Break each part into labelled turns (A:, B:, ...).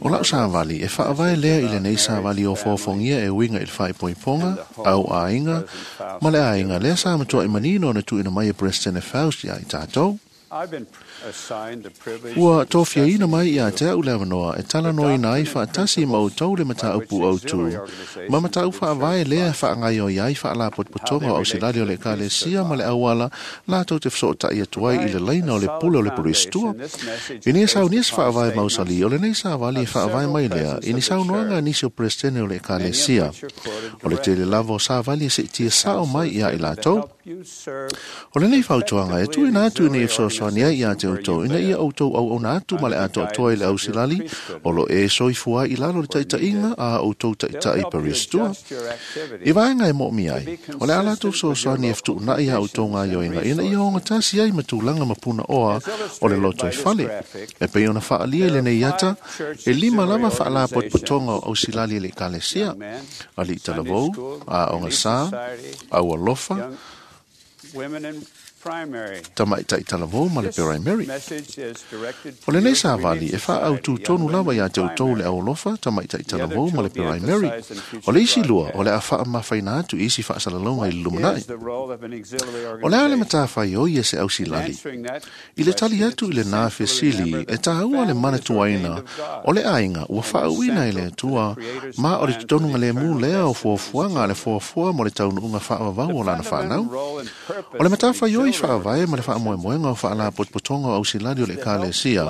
A: O lau savali, e faavae lea i lenei savali ofoofogia e uiga i le faaipoipoga, au aiga, ma le aiga lea sa matuai manino ona tuuina mai e Peresetene Faust iā i tatou. Ua tofiaina mai ia te au le avanoa e talanoaina ai faatasi ma outou le mataupu autu ma mataupu faavae lea e faagaoioi ai faalapotopotoga o ausilali o le Ekalesia ma le auala latou te fesootai atu ai i le laina o le pule o le Peristua. Ina ia saunia se faavae mausali, o lenei savali e faavae mai lea i ni saunoaga a nisi o Peresetene o le Ekalesia. O le tele lava o savali e seetia sao mai iā i latou. O lenei fautuaga e tuuina atu ina ia fesoasoani ai ia te outou ina ia outou auauna atu ma le atoatoa i le ausilali o lo o e soifua ai i lalo o le taitaiga a outou taitai Peristua. I vaega e moomia ai, o le a latou fesoasoani e fetuunai a outou gaioiga ina ia ogatasi ai ma tulaga ma punaoa o le lotoifale. E pei ona faaalia i lenei ata, e lima lava faalapotopotoga o ausilali a le Ekalesia, Alii Talavou, Aoga Sa, Aualofa, Tamaitai Talavou ma le Peraimeri. O lenei savali e faaautu tonu lava ia te outou le Aualofa, Tamaitai Talavou ma le Peraimeri. O le isi lua, o le a faamamafaina atu i isi faasalalauga i le lumanai. O le a le matafaioi e se ausilali? I le tali atu i lenā fesili, e taua le manatuaina o le aiga ua faauuina e le Atua, ma o le totonuga lemu lea o fuafuaga a le Foafoa mo le taunuuga faavavau o Lana fanau. O le matafaioi faavae ma le faamoemoega o faalapotopotoga o ausilali o le Ekalesia,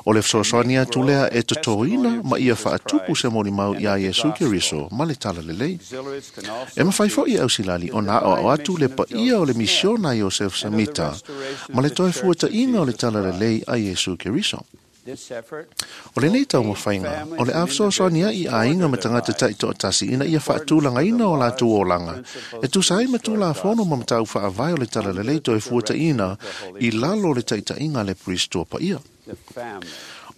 A: o le fesoasoani atu lea e totoina ma ia faatupu se molimau iā Iesu Keriso ma le Talalelei. E mafai foi e ausilali ona aoao atu le paia o le misiona a Iosefa Samita ma le toe fuataiga o le Talalelei a Iesu Keriso. O lenei taumafaiga, o le a fesoasoani ai i aiga ma tagata taitoatasi ina ia faatulagaina o latou olaga e tusa ai ma Tulafono ma mataupu faavae o le Talalelei toe fuataiina i lalo o le taitaiga a le Perisitoa Paia.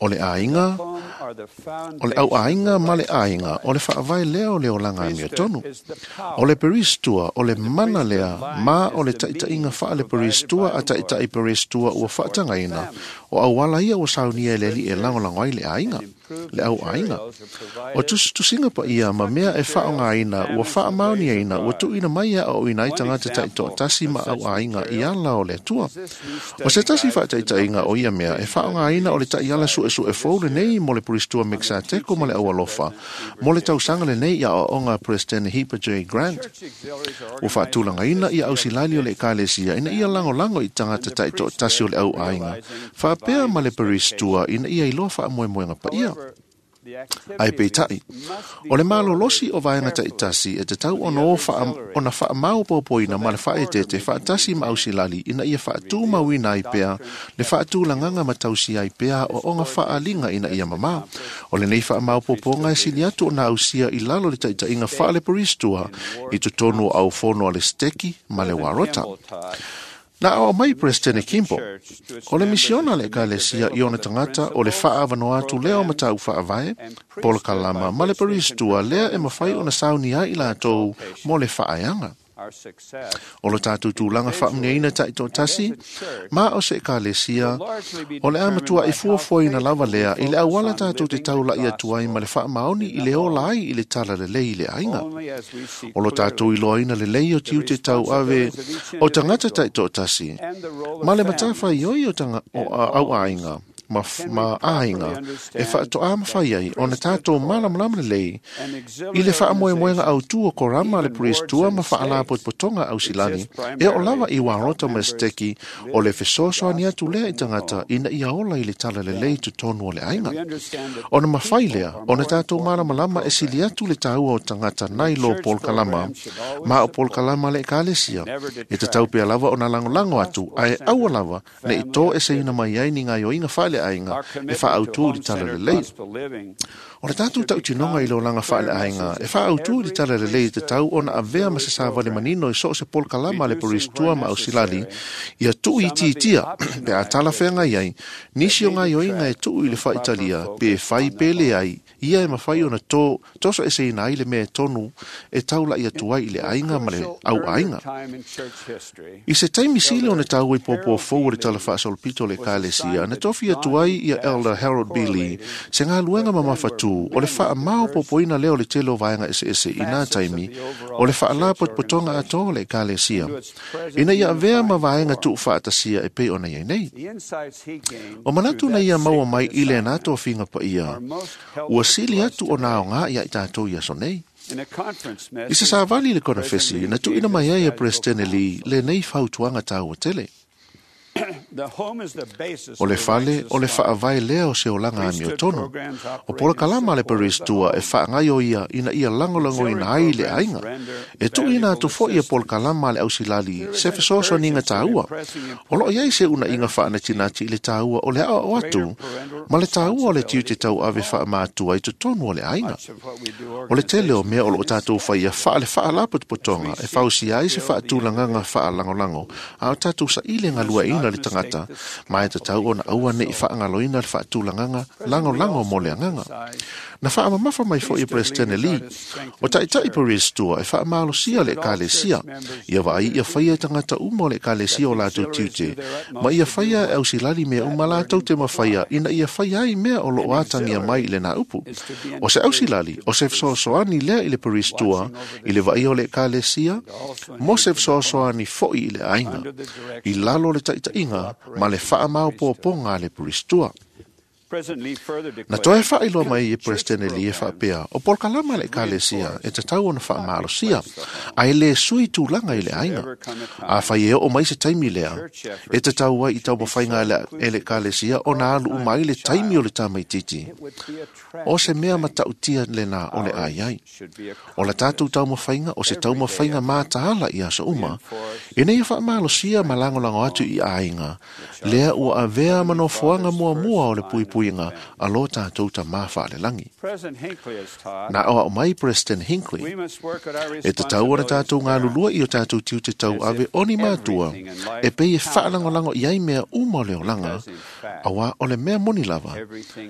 A: O le aiga, o le auaiga ma le aiga, o le faavae lea o le olaga amiotonu. O le Perisitoa, o le mana lea, ma o le taitaiga faale-Perisitoa a taitai Perisitoa ua faatagaina, o auala ia ua saunia e le Alii e lagolago ai le aiga, le auaiga. O tusitusiga paia ma mea e faaaogaina ua faamaoniaina ua tuuina mai e aoaoina ai tagata taitoatasi ma auaiga i ala o le Atua. O se tasi faataitaiga o ia mea e faaaogaina o le taiala suesue fou lenei mo le Perisitoa Mekisateko ma le Aualofa mo le tausaga lenei i aoaoga a Peresetene Heber J. Grant. Ua faatulagaina ia ausilali o le Ekalesia ina ia lagolago i tagata taitoatasi o le auaiga faapea ma le Perisitoa ina ia iloa faamoemoega paia. Ae peitai, o le malolosi o vaega taitasi e tatau ona o ona faamaopoopoina ma le faaeteete faatasi ma ausilali ina ia faatumauina ai pea le faatulagaga ma tausia ai pea aoaoga faaaliga ina ia mamā. O lenei faamaopoopoga e sili atu ona ausia i lalo o le taitaiga faale-Perisitoa i totonu o aufono a le Seteki ma le Warota. Na aoao mai Peresetene Kimball, o le misiona a le Ekalesia i ona tagata o le faaavanoa atu lea o mataupu faavae, polokalama ma le Perisitoa lea e mafai ona saunia ai i latou mo le faaeaga. O lo tatou tulaga faamanuiaina taitoatasi ma o se Ekalesia, o le a matuai fuafuaina lava lea i le auala tatou te taulai atu ai ma le faamaoni i le ola ai i le talalelei i le aiga. O lo tatou iloaina lelei o tiute tauave o tagata taitoatasi ma le matafaioi o, tanga, o au aiga ma, ma aiga e faatoa mafai ai ona tatou malamalama lelei i le faamoemoega autū o Korama le Perisitoa ma Faalapotopotoga Ausilani e oo lava i Warota ma Seteki o le fesoasoani atu lea i tagata ina ia ola i le talalelei i totonu o le aiga. Ona mafai lea ona tatou malamalama e sili atu le taua o tagata nai lo polokalama ma o polokalama a le Ekalesia e tatau pea lava ona lagolago atu ae aua lava ne i toeseina mai ai ni gaoioiga faaleaiga e faaautu i le talalelei. O le tatou tautinoga i le olaga faaleaiga e faaautu i le talalelei e tatau ona avea ma se savali manino i so o se polokalama a le Peristua ma Ausilali ia tuuitiitia pe a talafeagai ai nisi o gaoioiga e tuu i le faaitalia pe fai pe leai ia e mafai ona tosoeseina ai le mea tonu e taula'i atu ai i le aiga ma le auaiga. I se taimi sili ona taua i puapua fou o le tala faasolopito o le Ekalesia, na tofi atu ai ia Elder Harold B. Lee se galuega mamafatū o le faamaopoopoina lea o le tele o vaega eseese i nā taimi o le faalapotopotoga atoa o le Ekalesia, ina ia avea ma vaega tuufaatasia e pei ona iai nei. O manatu na ia maua mai i lena tofiga paia, ua sili atu ona aoga ia i tatou i aso nei. I se savali i le konefesi, na tuuina mai ai e Peresetene Lee lenei fautuaga taua tele. O le fale, o le faavae lea o se olaga amiotonu. O polokalama a le Peristua e faagaioia ina ia lagolagoina ai le aiga. E tuuina atu foi e polokalama a le ausilali se fesoasoaniga taua. O loo iai se uunaiga faanatinati i le taua o le aoao atu ma le taua o le tiute tauave faamatua i totonu o le aiga. O le tele o mea o loo tatou faia faale faalapotopotoga e fausia ai se faatulagaga faalagolago a o tatou saili e galueaiina le tagata ma e tatau ona aua nei faagaloina le faatulagaga lagolago mo le agaga. Na faamamafa mai foi e Peresetene Lee, o taitai Peristua e faamalosia le Ekalesia, ia vaai ia faia e tagata uma o le Ekalesia o latou tiute, ma ia faia e ausilali mea uma latou te mafaia ina ia faia ai mea o loo atagia mai i lena upu. O se ausilali, o se fesoasoani lea i le Peristua, i le vaaia o le Ekalesia, mo se fesoasoani foi i le aiga, i lalo o le taitaiga ma le faamaopoopoga a le Peristua. Na toe faailoa mai e Peresetene Lee e faapea, o polokalama a le Ekalesia e tatau ona faamalosia, ae le sui tulaga i le aiga. Afai e oo mai se taimi lea, e tatau ai i taumafaiga e le Ekalesia ona alu uma ai le taimi o le tamaitiiti. O se mea matautia lena o le a i ai. O la tatou taumafaiga, o se taumafaiga mataala i aso uma, ina ia faamalosia ma lagolago atu i aiga, lea ua avea ma nofoaga muamua o le puipuiga a lo tatou Tamā faalelagi. Na aoao mai President Hinckley, e tatau ona tatou galulue i o tatou tiute tauave o ni matua, e pei e faalagolago i ai mea uma o le olaga, auā o le mea moni lava,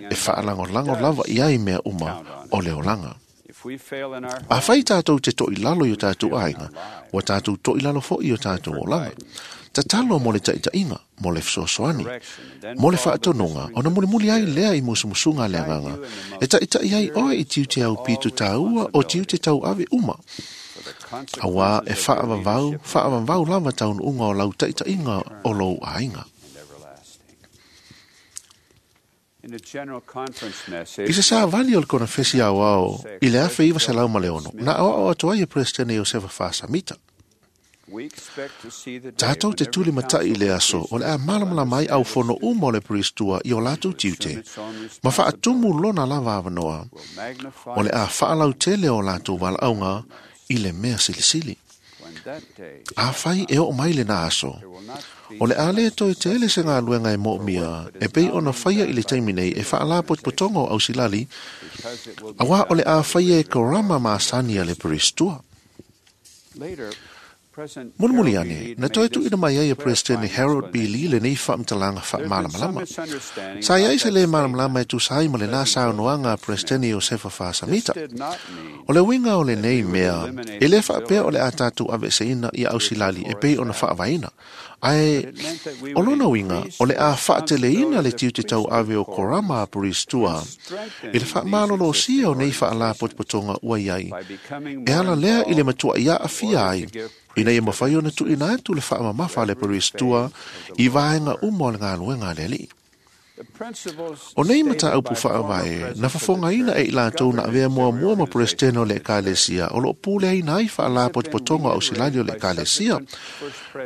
A: e faalagolago lava i ai mea uma o le olaga. Afai tatou te toilalo i o tatou aiga, ua tatou toilalo foi i o tatou olaga. Tatalo mo le taitaiga, mo le fesoasoani, mo le faatonuga, ona mulimuli ai lea i musumusuga a le agaga, e taitai ai oe i tiute aupito taua o tiute tauave uma. Auā e faavavau, faavavau lava taunuuga o lau taitaiga o lou aiga. I se savali o le konefesi aoao i le 1906, na aoao atu ai e Peresetene Iosefa Faasamita. Tatou te tulimatai i le aso o le a malamalama ai aufono uma o le Peristua i o latou tiute, ma faatumu lona lava avanoa, o le a faalautele o latou valaauga i le mea silisili. Afai e oo mai lena aso, o le a le toe tele se galuega e moomia e pei ona faia i le taimi nei e faalapotopotoga o ausilali, auā o le a faia e korama masani a le Peristua. Mulimuli ane, na toe tuuina mai ai e Peresetene Harold B. Lee lenei faamatalaga faamalamalama. Sa i ai se lē malamalama e tusa ai ma lenā saunoaga a Peresetene Iosefa Faasamita. O le uiga o lenei mea, e lē faapea o le a tatou aveeseina ia ausilali e pei ona faavaeina, ae o lona uiga o le a faateleina le tiute tauave o korama a Peristua i le faamalolosia o nei faalapotopotoga ua i ai, e ala lea i le matuai aafia ai ina ia mafai ona tuuina atu le faamamafa a le Peristua i vaega uma o le galuega a le Alii. O nei mataupu faavae, na fofogaina e i latou na avea muamua ma Peresetene o le Ekalesia o loo puleaina ai faalapotopotoga o ausilali o le Ekalesia.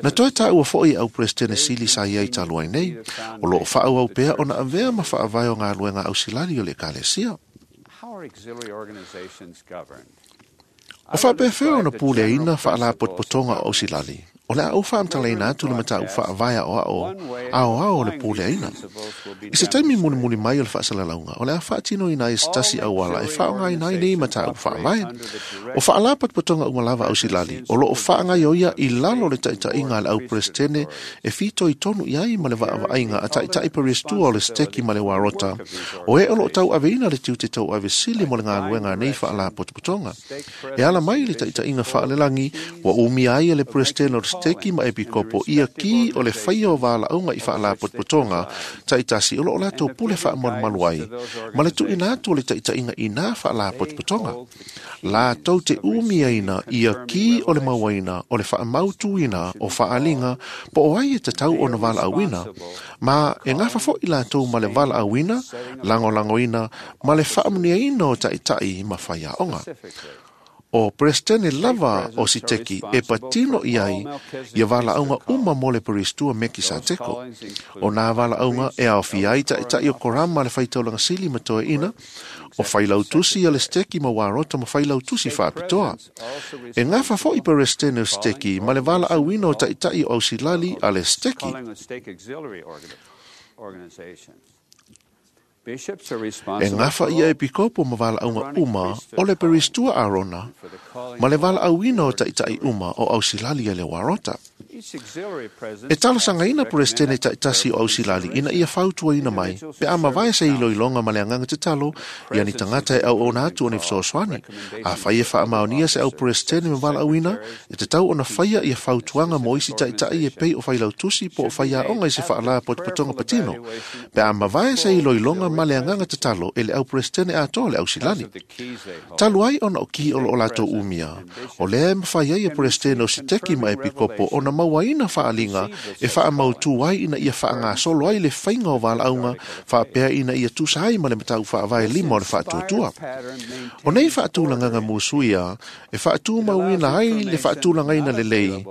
A: Na toe taua foi e au Peresetene sili sa i ai talu ai nei, o loo faaauau pea ona avea ma faavae o galuega ausilali o le Ekalesia. O faapefea ona puleaina faalapotopotoga o ausilali? O le a ou faamatalaina atu le mataupu faavae aoao aoao o le puleaina. I se taimi mulimuli mai o le faasalalauga, o le a faatinoina ai se tasi auala e faaaogaina ai nei mataupu faavae. O faalapotopotoga uma lava a Ausilali, o lo o faagaoioia i lalo o le taitaiga a le au Peresetene e fitoitonu i ai ma le vaavaaiga a taitai peresetua o le Seteki ma le Warota, o e o lo o tauaveina le tiute tauave sili mo le galuega a nei faalapotopotoga. E ala mai i le taitaiga faalelagi, ua umia ai e le Peresetene o le Seteki ma Epikopo ia ki o le faia o valaauga i faalapotopotoga taitasi o lo o latou pule faamalumalu ai, ma le tuuina atu o le taitaiga i nā faalapotopotoga. Latou te umiaina ia ki o le mauaina o le faamautuina o faaaliga po o ai e tatau ona valaauina, ma e gafa foi latou ma le valaauina, lagolagoina ma le faamuniaina o taitai ma faiaoga. O Peresetene lava o Siteki e patino i ai ia valaauga uma mo le Perestua Mekisateko. O nā valaauga e aofia ai taitai o Korama le faitaulaga sili ma toeaina, o failautusi a le Siteki ma Warota ma failautusi faapitoa. E gafa foi Peresetene o Siteki ma le valaauina o taitai o Ausilali a le Siteki. E gafa ia Epikopo ma valaauga uma o le Perestua Arona ma le valaauina o taitai uma o Ausilali a le Warota. E talosagaina Peresetene taitasi o Ausilali ina ia fautuaina mai pe a mavae se iloiloga ma le agaga tatalo ia ni tagata e auauna atu o ni fesoasoani. Afai e faamaonia se au Peresetene ma valaauina, e tatau ona faia ia fautuaga mo isi taitai e pei o failautusi po o faiaoga i se faalapotopotoga patino, pe a mavae se iloiloga ma le agaga tatalo e le au Peresetene atoa o le Ausilali. Talu ai ona o ki o lo o latou umia, o lea e mafai ai e Peresetene o Siteki ma Epikopo ona mauaina faaaliga e faamautū ai ina ia faagasolo ai le faiga o valaauga faapea ina ia tusa ai ma le mataupu faavae lima o le faatuatua. O nei faatulagaga musuia e faatumauina ai le faatulagaina lelei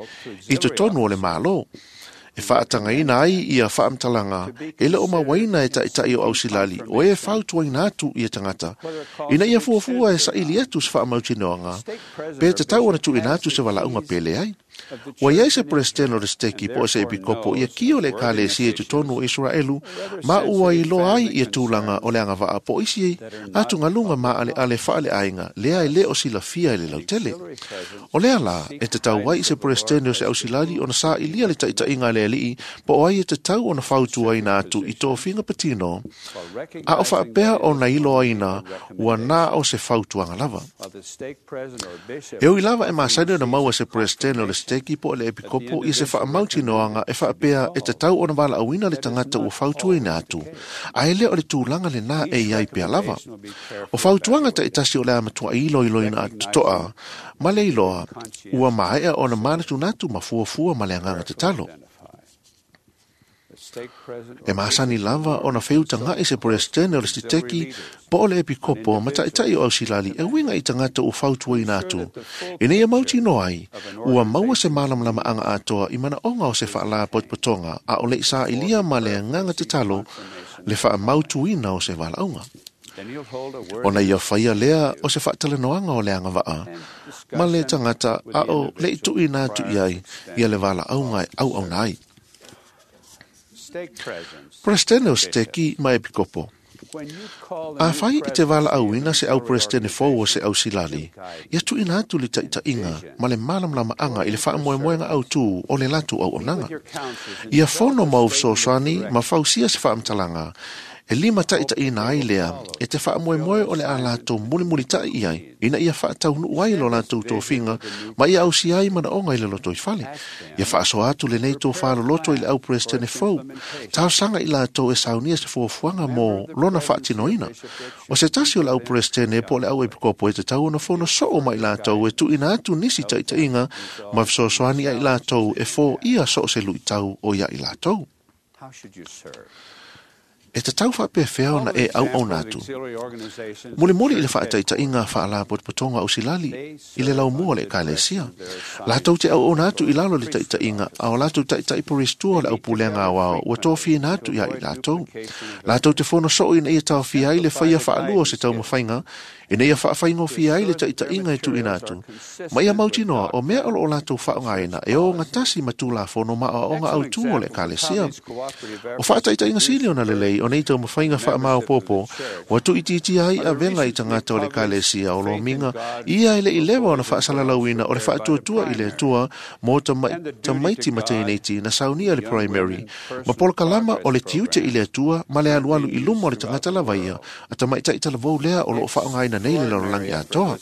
A: i totonu o le Malo, e faatagaina ai ia faamatalaga e le o mauaina e taitai o Ausilali o e fautuaina atu ia tagata ina ia fuafua e saili atu se faamautinoaga pe tatau ona tuuina atu se valaauga pe leai. Ua i ai se Peresetene o le Seteki po o se Epikopo ia ki o le Ekalesia i totonu o Isaraelu ma ua iloa ai ia tulaga o le agavaa po o isi atugaluga maaleale faaleaiga lea e le o silafia e le lautele. O lea la e tatau ai i se Peresetene o se Ausilali ona sailia le taitaiga a le Alii po o ai e tatau ona fautuaina atu i tofiga patino, a o faapea ona iloaina ua na o se fautuaga lava. E ui lava e masani ona maua se Peresetene o le Seteki po o le Epikopo i se faamautinoaga e faapea e tatau ona valaauina le tagata ua fautuaina atu, a e le o le tulaga lena e i ai pea lava. O fautuaga taitasi o le a matuai iloiloina totoa ma le iloa ua maea ona manatunatu ma fuafua ma le agaga tatalo. E masani lava ona feutaga'i se Peresetene o le Siteki po o le Epikopo ma taitai o Ausilali e uiga i tagata ua fautuaina atu, ina ia mautinoa ai ua maua se malamalamaaga atoa i manaoga o se faalapotopotoga a o le i sailia ma le agaga tatalo le faamautuina o se valaauga. Ona ia faia lea o se faatalanoaga o le agavaa ma le tagata a o le i tuuina atu i ai ia le valaauga e auauna ai. Peresetene o Seteki ma Epikopo. Afai i te valaauina se au Peresetene fou o se Ausilali, ia tuuina atu le taitaiga ma le malamalamaaga i le faamoemoega autū o le latou auaunaga. Ia fono ma ou fesoasoani ma fausia se faamatalaga e limataitaiina ai lea e te faamoemoe o le a latou mulimulitai i ai ina ia faataunuu ai lo latou tofiga ma ia ausia ai manaoga i le lotoifale. Ia faasoa atu lenei tofaloloto i le au Peresetene fou, talosaga i latou e saunia se fuafuaga mo lona faatinoina. O se tasi o le au Peresetene po o le au Epikopo e tatau ona fono soo ma i latou e tuuina atu nisi taitaiga ma fesoasoani ia i latou e foia so o se luitau o ia i latou. E tatau faapefea ona e auauna atu. Mulimuli i le faataitaiga faalapotopotoga ausilali i le laumua o le ekalesia. Latou te auauna atu i lalo o le taitaiga a o latou taitai peristua o le aupulega aoao ua tofiina atu ia i latou. Latou te fono soo ina ia taofia ai le faia faalua o se taumafaiga ina ia faafaigofie ai le taitaiga e tuuina atu. Ma ia mautinoa o mea o lo o latou faaaogaina e ogatasi ma Tulafono ma aoaoga autū o le Ekalesia. O faataitaiga sili ona lelei o nei taumafaiga faamaopoopo ua tuuitiitia ai avega i tagata o le Ekalesia o lomiga ia e le i leva ona faasalalauina o le faatuatua i le Atua mo tamaiti ma teineiti na saunia i le Primary ma polokalama o le tiute i le Atua ma le alualu i luma o le tagata lava ia a tamaitai talavou lea o lo o faaaogaina nei le lalolagi atoa.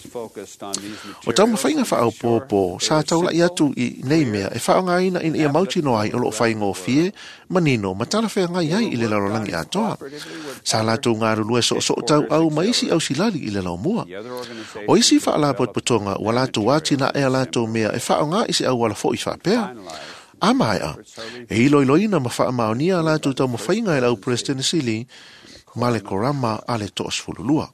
A: O taumafaiga faaopoopo sa taulai atu i nei mea e faaaogaina ina ia mautinoa ai o lo o faigofie, manino ma talafeagai ai i le lalolagi atoa. Sa latou galulue soosoo tauau ma isi ausilali i le laumua. O isi faalapotopotoga ua latou atinae a latou mea e faaaoga i se auala foi faapea. A maea, e iloiloina ma faamaonia a latou taumafaiga e le au Peresetene Sili ma le Korama a le 12.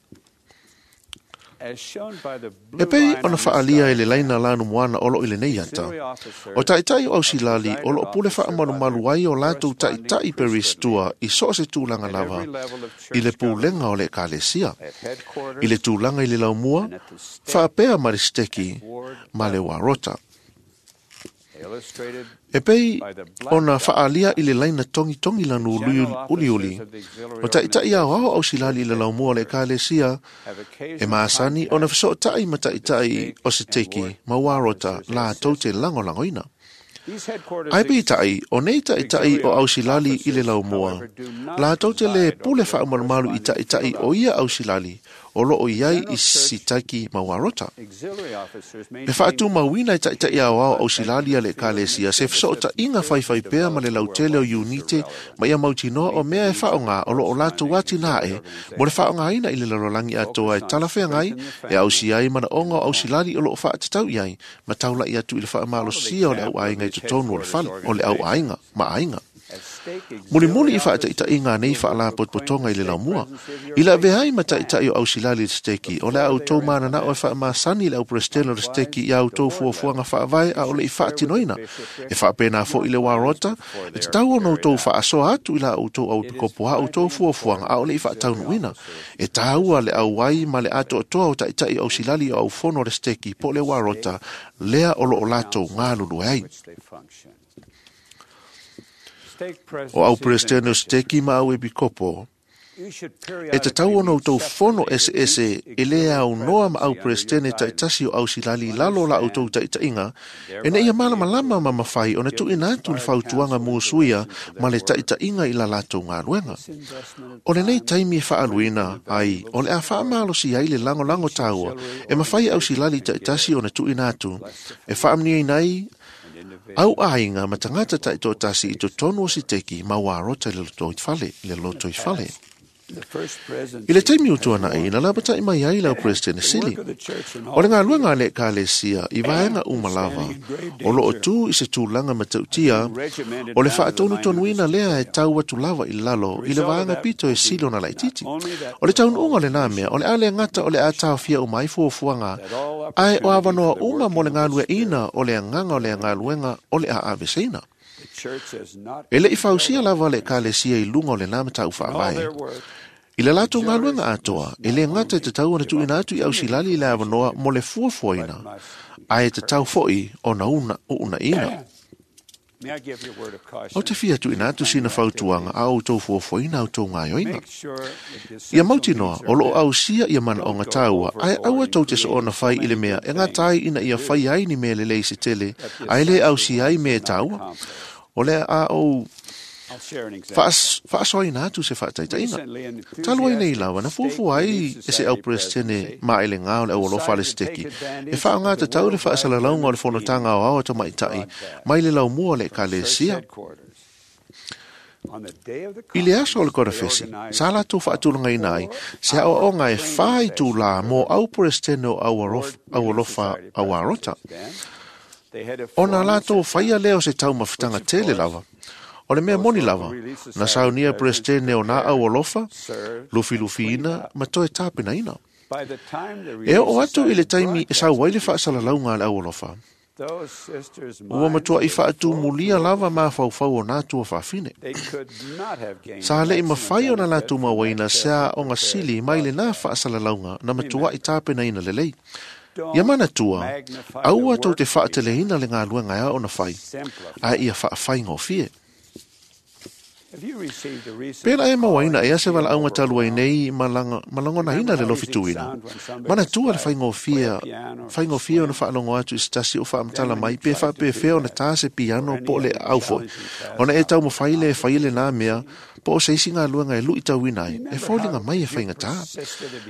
A: E pei ona faaalia e le laina lanumoana o lo o i lenei ata, o taitai o Ausilali o lo o pule faamalumalu ai o latou taitai peristua i so o se tulaga lava i le pulega o le ekalesia, i le tulaga i le laumua, faapea ma le siteki ma le uarota. E pei ona faaalia i le laina togitogi lanu uliuli, o taitai aoao ausilali i le laumua o le ekalesia e masani ona fesootai ma taitai o siteki ma uarota latou te lagolagoina. Ae peitai, o nei taitai o ausilali i le laumua, latou te le pule faamalumalu i taitai o ia ausilali o lo o i ai i sitaki ma uarota. E faatumauina e taitai aoao ausilali a le ekalesia se fesootaiga faifai pea ma le lautele o iunite ma ia mautinoa o mea e faaaoga o lo o latou atinae mo le faaaogaina i le lalolagi atoa e talafeagai e ausia ai manaoga o ausilali o lo o faatatau i ai ma taulai atu i le faamalosia o le auaiga i totonu o le fale o le auaiga ma aiga. Mulimuli i faataitaiga a nei faalapotopotoga i le laumua, i le avea ai ma taitai o ausilali i le siteki, o le a outou mananao e faamasani le au Peresetene o le siteki i a outou fuafuaga faavae a o le i faatinoina. E faapena foi le uarota, e tatau ona outou faasoa atu i la outou auepikopo a outou fuafuaga a o le i faataunuuina. E taua le auai ma le atoatoa o taitai o ausilali o aufono o le siteki po o le uarota lea o lo o latou galulue ai. O au Peresetene o siteki ma au epikopo, e tatau ona outou fono eseese e le aunoa ma au Peresetene taitasi o ausilali i lalo o la outou taitaiga, ina ia malamalama ma mafai ona tuuina atu le fautuaga musuia ma le taitaiga i la latou galuega. O lenei taimi e faaaluina ai o le a faamalosia ai le lagolago taua e mafai e ausilali taitasi ona tuuina atu e faamanuiaina ai au aiga ma tagata taitoatasi i totonu o siteki ma uarota i le lotoifale, le lotoifale. I le taimi ua tuanai, na lapatai mai ai le au Peresetene Sili. O le galuega a le Ekalesia i vaega uma lava, o lo o tu i se tulaga matautia, o le faatonutonuina lea e tau atu lava i lalo i le vaega pito e sili ona laitiiti. O le taunuuga o lena mea, o le a le gata o le a taofia uma ai fuafuaga, ae o avanoa uma mo le galueaiina o le agaga o le galuega o le a aveseina. E le i fausia lava le Ekalesia i luga o lena mataupu faavae. I le latou galuega atoa, e le gata e tatau ona tuuina atu i ausilali i le avanoa mo le fuafuaina, ae tatau foi ona uunaina. Ou te fia tuuina atu sina fautuaga a outou fuafuaina a outou gaoioiga. Ia mautinoa, o lo o ausia ia manaoga taua, ae aua tou te soona fai i le mea e gata ai ina ia fai ai ni mea lelei se tele, ae le ausia ai mea e taua. O le a ou faasoaina atu se faataitaiga. Talu ai nei lava, na fuafua ai e se au Peresetene maelega o le aualofa a le siteki e faaaoga tatau le faasalalauga o le Fonotaga Aoao a Tamaitai mai le laumua o le Ekalesia. I le aso o le Konefesi, sa latou faatulagaina ai se aoaoga e whā itulā mō au Peresetene o Aualofa Auarota. Ona latou whaia lea o se taumafataga tele lava. O le mea moni lava, na saunia Peresetene o nā aualofa, lufilufiina ma toe tapenaina. E oo atu i le taimi e sau ai le faasalalauga a le aualofa, ua matuai faatumulia lava mafaufau o nā tuafafine. Sa leʻi mafai ona latou mauaina se aoga sili mai lenā faasalalauga na matuai tapenaina lelei. Ia manatua, aua tou te faateleina le galuega e ao ona fai, ae ia faafaigofie. Pēlā e mauaina ea se valaauga talu ai nei ma lagonaina le lofituina. Manatua le faigofie, faigofie ona faalogo atu i se tasi o faamatala mai pe faapefea ona tā se piano po o le aau foi. Ona e taumafai lea e fai lenā mea po o se isi galuega e luitauina ai, e foliga mai e faigata.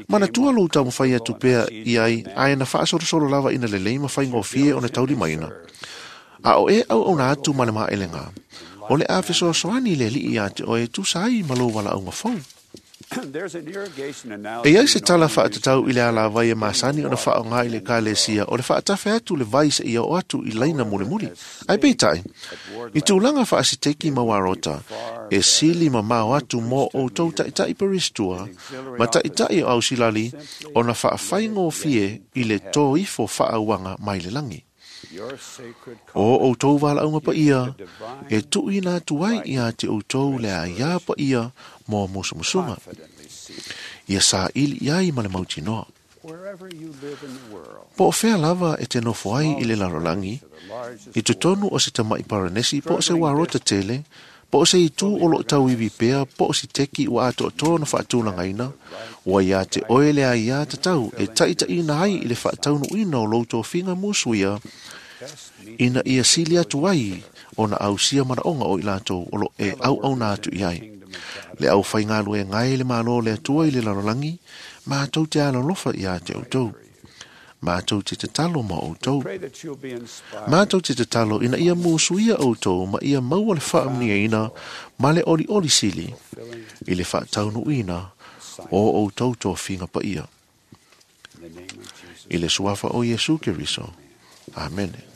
A: Manatua lou taumafai atu pea i ai ae na faasolosolo lava ina lelei ma faigofie ona taulimaina. A o e auauna atu ma le maelega, o le a fesoasoani le Alii iā te oe e tusa ai ma lou valaauga fou. E i ai se tala faatatau i le alavai e masani ona faaaoga i le Ekalesia o le faatafe atu le vai seia oo atu i laina mulimuli. Ae peitai, i tulaga faasiteki ma uarota, e sili mamao atu mo outou taitai peristua ma taitai o ausilali ona faafaigofie i le tō ifo faauaga mai le lagi. O outou valaauga paia, e tuuina atu ai ia te outou le aia paia mo musumusuga. Ia saili i ai ma le mautinoa. Po o fea lava e te nofo ai i le lalolagi, i totonu o se tamai paranesi po o se uarota tele, Po o se itu o lo o tauivi pea po o se teki ua atoatoa ona faatulagaina, ua iā te oe le aiā tatau e taitaiina ai i le faataunuuina o lou tofiga musuia ina ia sili atu ai ona ausia manaoga o i latou o lo o e auauna atu i ai. Le aufaigaluega e le Malo o le Atua i le lalolagi, matou te alolofa iā te outou. Matou te tatalo mo outou. Matou te tatalo ina ia musuia outou ma ia maua le faamanuiaina ma le olioli sili i le faataunuuina o outou tofiga paia. I le suafa o Iesu Keriso. Amene.